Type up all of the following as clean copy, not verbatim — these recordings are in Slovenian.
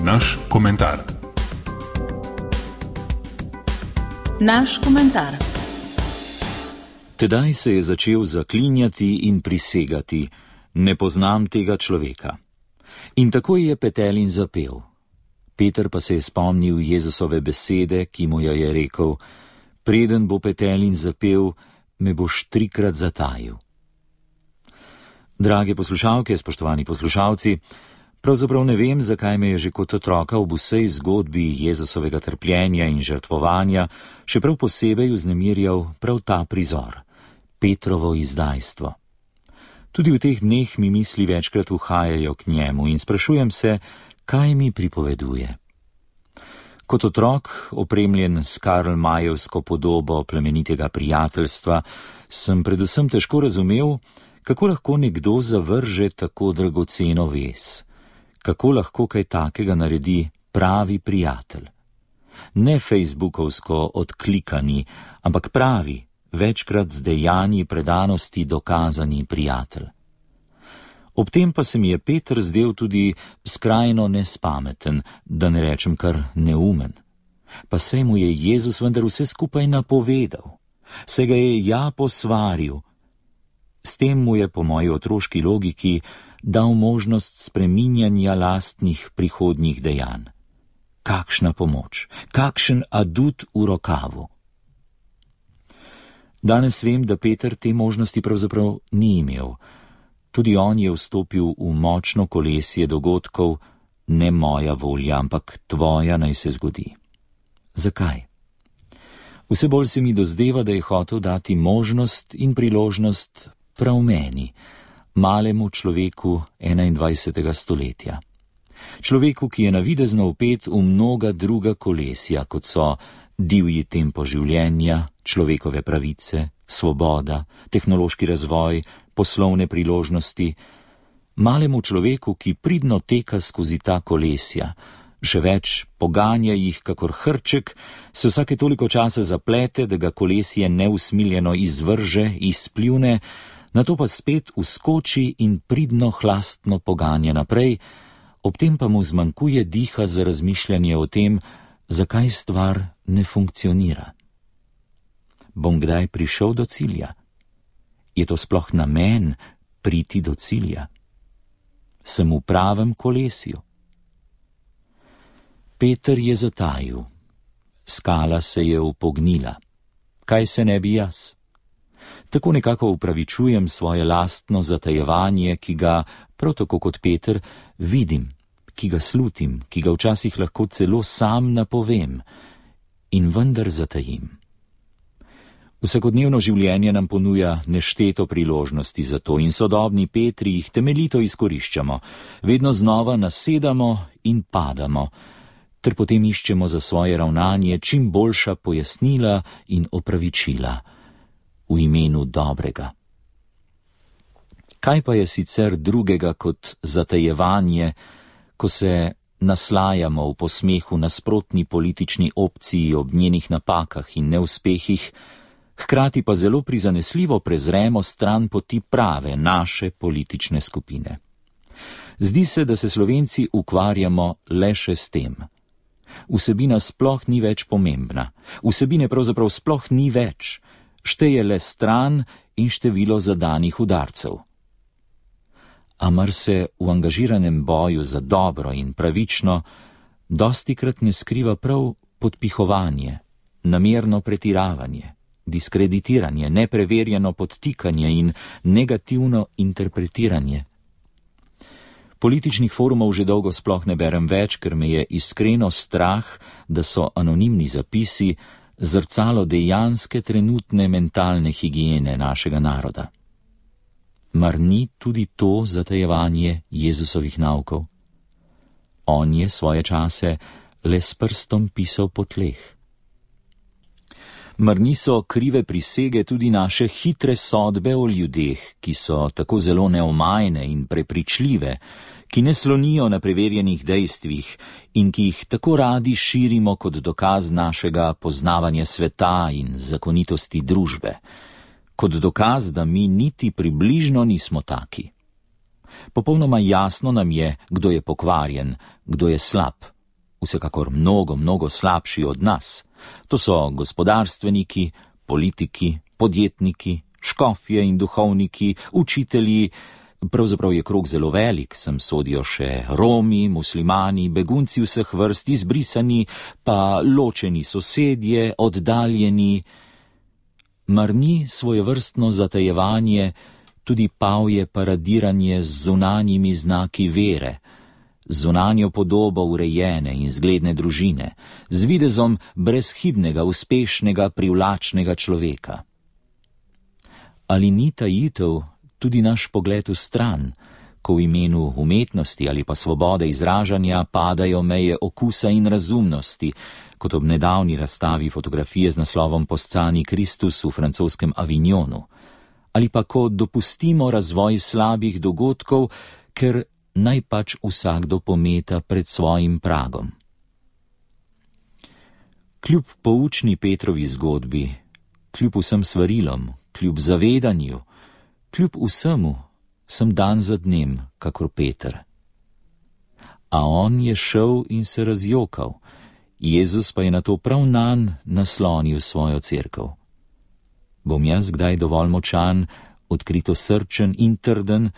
naš komentar. Naš komentar. Tedaj se je začel zaklinjati in prisegati: ne poznam tega človeka. In tako je Petelin zapel. Peter pa se je spomnil Jezusove besede, ki mu je rekel: preden bo Petelin zapel, me boš 3krat zatajil. Drage poslušalke, spoštovani poslušalci, pravzaprav ne vem, zakaj me je že kot otroka ob vsej zgodbi Jezusovega trpljenja in žrtvovanja še prav posebej vznemirjal prav ta prizor, Petrovo izdajstvo. Tudi v teh dneh mi misli večkrat uhajajo k njemu in sprašujem se, kaj mi pripoveduje. Kot otrok, opremljen s Karl-Mayevsko podobo plemenitega prijateljstva, sem predvsem težko razumel, kako lahko nekdo zavrže tako dragoceno vez. Kako lahko kaj takega naredi pravi prijatelj. Ne facebookovsko odklikani, ampak pravi, večkrat z dejanji predanosti dokazani prijatelj. Ob tem pa se mi je Peter zdel tudi skrajno nespameten, da ne rečem kar neumen. Pa saj mu je Jezus vendar vse skupaj napovedal, se ga je posvaril. S tem mu je po moji otroški logiki dal možnost spreminjanja lastnih prihodnjih dejanj. Kakšna pomoč, kakšen adut v rokavu. Danes vem, da Peter te možnosti pravzaprav ni imel. Tudi on je vstopil v močno kolesje dogodkov, ne moja volja, ampak tvoja naj se zgodi. Zakaj? Vse bolj se mi dozdeva, da je hotel dati možnost in priložnost prav meni, malemu človeku 21. stoletja. Človeku, ki je navidezno vpet v mnoga druga kolesja, kot so divji tempo življenja, človekove pravice, svoboda, tehnološki razvoj, poslovne priložnosti. Malemu človeku, ki pridno teka skozi ta kolesja, še več, poganja jih kakor hrček, se vsake toliko časa zaplete, da ga kolesje neusmiljeno izvrže, izpljune, nato pa spet vskoči in pridno hlastno poganja naprej, ob tem pa mu zmanjkuje diha za razmišljanje o tem, zakaj stvar ne funkcionira. Bom kdaj prišel do cilja? Je to sploh namen priti do cilja? Sem v pravem kolesju? Peter je zatajil. Skala se je upognila. Kaj se ne bi jaz? Tako nekako upravičujem svoje lastno zatajevanje, ki ga, prav tako kot Peter, vidim, ki ga slutim, ki ga včasih lahko celo sam napovem in vendar zatajim. Vsakodnevno življenje nam ponuja nešteto priložnosti za to in sodobni Petri jih temeljito izkoriščamo, vedno znova nasedamo in padamo, ter potem iščemo za svoje ravnanje čim boljša pojasnila in opravičila v imenu dobrega. Kaj pa je sicer drugega kot zatajevanje, ko se naslajamo v posmehu nasprotni politični opciji ob njenih napakah in neuspehih, hkrati pa zelo prizanesljivo prezremo stran poti prave naše politične skupine. Zdi se, da se Slovenci ukvarjamo le še s tem. Vsebina sploh ni več pomembna, vsebine pravzaprav sploh ni več, šteje le stran in število zadanih udarcev. A mar se v angažiranem boju za dobro in pravično dostikrat ne skriva prav podpihovanje, namerno pretiravanje, diskreditiranje, nepreverjeno podtikanje in negativno interpretiranje. Političnih forumov že dolgo sploh ne berem več, ker me je iskreno strah, da so anonimni zapisi zrcalo dejanske trenutne mentalne higiene našega naroda. Mar ni tudi to zatajevanje Jezusovih naukov? On je svoje čase le s prstom pisal po tleh. Mar niso krive prisege tudi naše hitre sodbe o ljudeh, ki so tako zelo neomajne in prepričljive, ki ne slonijo na preverjenih dejstvih in ki jih tako radi širimo kot dokaz našega poznavanja sveta in zakonitosti družbe, kot dokaz, da mi niti približno nismo taki. Popolnoma jasno nam je, kdo je pokvarjen, kdo je slab, vsekakor mnogo slabši od nas. To so gospodarstveniki, politiki, podjetniki, škofje in duhovniki, učitelji, pravzaprav je krog zelo velik, sem sodijo še Romi, muslimani, begunci vseh vrst, izbrisani, pa ločeni sosedje, oddaljeni. Mar ni svojevrstno zatajevanje tudi pavje paradiranje z zunanjimi znaki vere, z zunanjo podobo urejene in zgledne družine, z videzom brezhibnega, uspešnega, privlačnega človeka? Ali ni tajitev tudi naš pogled v stran, ko v imenu umetnosti ali pa svobode izražanja padajo meje okusa in razumnosti, kot ob nedavni razstavi fotografije z naslovom Poscani Kristus v francoskem Avignonu, ali pa ko dopustimo razvoj slabih dogodkov, ker naj pač vsakdo pometa pred svojim pragom. Kljub poučni Petrovi zgodbi, kljub vsem svarilom, kljub zavedanju, kljub vsemu sem dan za dnem, kakor Peter. A on je šel in se razjokal, Jezus pa je nato prav nanj naslonil svojo cerkev. Bom jaz kdaj dovolj močan, odkrito srčen in trden,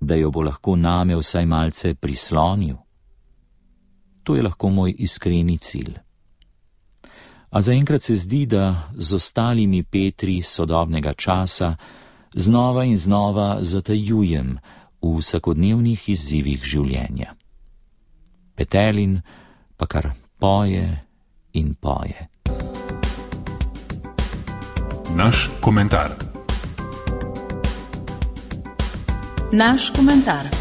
da jo bo lahko name vsaj malce prislonil? To je lahko moj iskreni cilj. A zaenkrat se zdi, da z ostalimi Petri sodobnega časa znova in znova zatajujem v vsakodnevnih izzivih življenja. Petelin pa kar poje in poje. Naš komentar. Naš komentar.